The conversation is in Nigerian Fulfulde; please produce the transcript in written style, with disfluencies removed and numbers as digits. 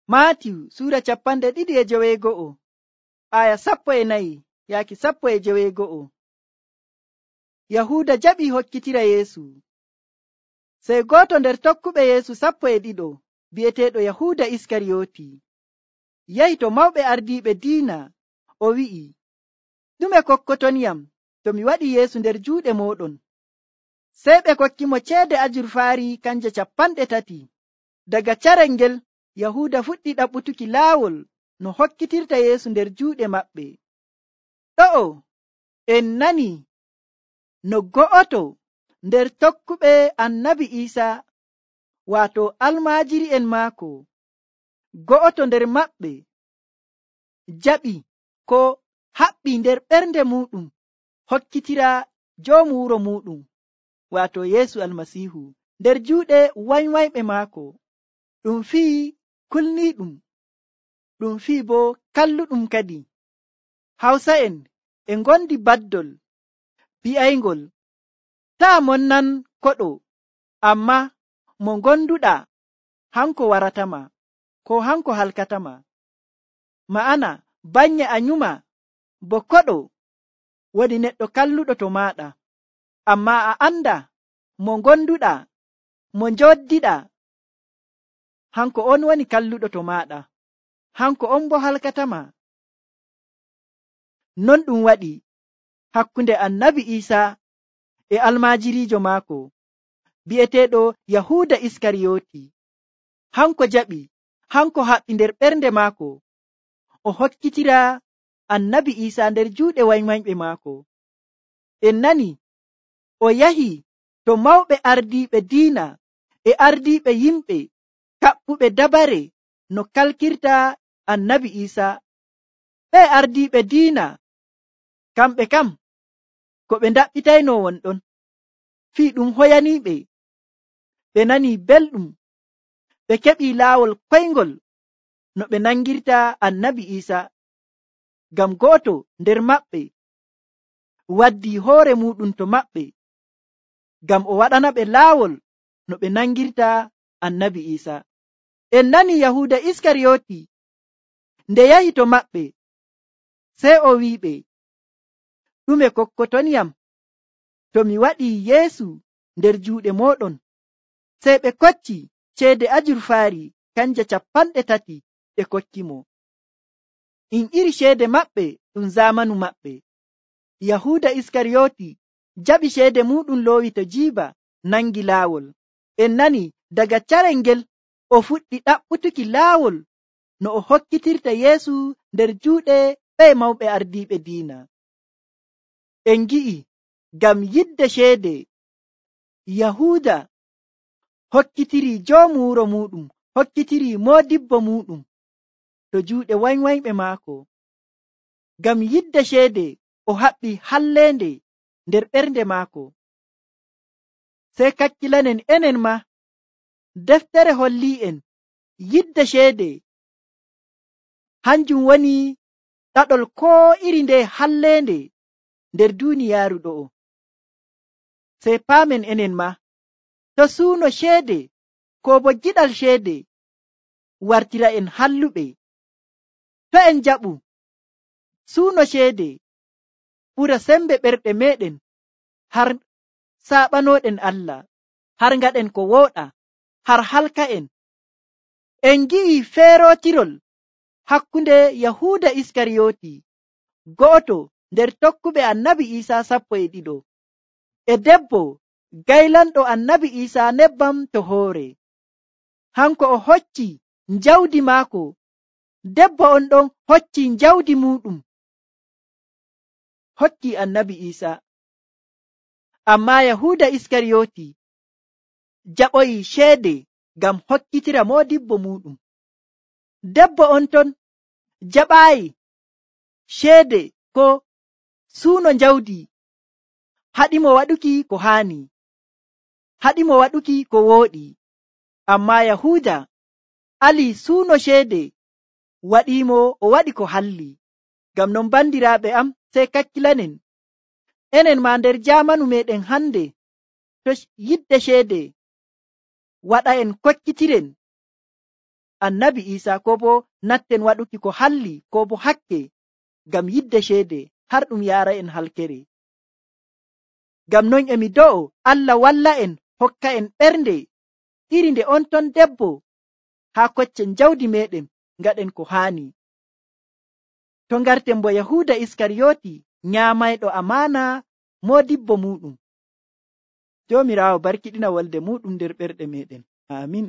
Maatiyu sura 2:14 aya 14 yaaki 15. Yahuuda jaɓi hokkitira Yeesu. Sey goto nder tokkuɓe Yeesu 12 bi'eteeɗo Yahuuda Iskariyoti yahi to mawɓe ardiiɓe diina o wi'i, ɗume kokkotoniyam to mi waɗi Yeesu nder juuɗe mooɗon? Sey ɓe kokkimo ceede ajurfaari kanje 30. Daga carel ngel Yahuuda fuɗɗi ɗaɓɓutuki laawol no hokkitirta Yeesu nder juuɗe maɓɓe. Ɗo'o en nani no go'oto nder tokkuɓe Annabi Iisaa, waato almaajiri'en maako, go'oto nder maɓɓe jaɓi ko haɓɓi nder ɓernde muɗum hokkitira joomu wuro muɗum, waato Yeesu Almasiihu, nder juuɗe wanywanyɓe maako. Ɗum fii kulniiɗum, ɗum fii bo kalluɗum kadi. Hawsa'en e ngondi baddol bi'ayngol, taa mon nan koɗo, amma mo gonduɗa hanko waratama, ko hanko halkatama. Ma'ana banye a nyuma bo koɗo woni neɗɗo kalluɗo to maɗa, amma a anda mo gonduɗa, mo njoddiɗa, hanko on woni kalluɗo to maɗa, hanko on bo halkatama. Non ɗum waɗi hakkunde Annabi Iisaa e almaajirijo maako bi'eteeɗo Yahuuda Iskariyoti. Hanko jaɓi, hanko haɓɓi nder ɓernde maako o hokkitira Annabi Iisaa nder juuɗe wanywanyɓe maako. En nani o yahi to mawɓe ardiiɓe diina e ardiiɓe yimɓe kaɓɓuɓe dabare no kalkirta Annabi Iisaa. Ɓe ardiiɓe diina kamɓe kam ko ɓe ndaɓɓitayno wonɗon fii ɗum hoyaniiɓe. Ɓe nani belɗum, ɓe keɓi laawol koyngol no ɓe nangirta Annabi Iisaa, ngam go'oto nder maɓɓe waddi hoore muɗum to maɓɓe ngam o waɗana ɓe laawol no ɓe nangirta Annabi Iisaa. En nani Yahuuda Iskariyoti nde yahi to maɓɓe, sey o wi'iɓe, ɗume kokkotoniyam to mi waɗi Yeesu nder juuɗe mooɗon? Sey ɓe kocci ceede ajurfaari kanje 30 ɓe kokkimo. Iri ceede maɓɓe ɗum zamanu maɓɓe. Yahuuda Iskariyoti jaɓi ceede muɗum loowi to jiiba nangi laawol. En nani daga carel ngel o fuɗɗi ɗaɓɓutuki laawol no o hokkitirta Yeesu nder juuɗe ɓe mawɓe ardiiɓe diina. En gi'i ngam yidde ceede Yahuuda hokkitiri joomu wuro muɗum, hokkitiri moodibbo muɗum to juuɗe wanywanyɓe maako. Ngam yidde ceede o haɓɓi halleende nder ɓernde maako. Sey kakkilanen enen ma, deftere holli'en yidde ceede hanjum woni ɗaɗol ko iri nde halleende nder duuniyaaru ɗo'o. Sey paamen enen ma, to suuno ceede ko bo giɗal ceede wartira en halluɓe, to en jaɓu suuno ceede ɓura sembe ɓerɗe meɗen, har saɓanoɗen Allah, har ngaɗen ko wooɗa, har halka'en. En gi'i feerotirol hakkunde Yahuuda Iskariyoti, go'oto nder tokkuɓe Annabi Iisaa 12, e debbo gaylanɗo Annabi Iisaa nebbam to hoore. Hanko o hocci njawdi maako, debbo on ɗon hocci njawdi muɗum hokki Annabi Iisaa. Amma Yahuuda Iskariyoti jaɓoyi ceede ngam hokkitira moodibbo muɗum. Debbo on ton jaɓaayi ceede ko suuno njawdi, haɗimo waɗuki ko haani, haɗimo waɗuki ko wooɗi. Amma Yahuuda ali suuno ceede, waɗimo o waɗi ko halli. Ngam non bandiraaɓe am, sey kakkilanen enen ma nder jamanu meɗen hande, to yidde ceede waɗa en kokkitiren annabi isa ko bo natten waɗuki ko halli ko bo hakke ngam yidde ceede har ɗum yaara en halkere. Ngam non emi do'o Allah walla en hokka en ɓernde iri nde on ton debbo haa koccen jawdi meɗen ngaɗen ko haani. To ngarten bo Yahuda Iskariyoti nyaamayɗo amaana modibbo muɗum. Joomiraawo barkiɗina wolde muɗum nder ɓerɗe meɗen. Amin.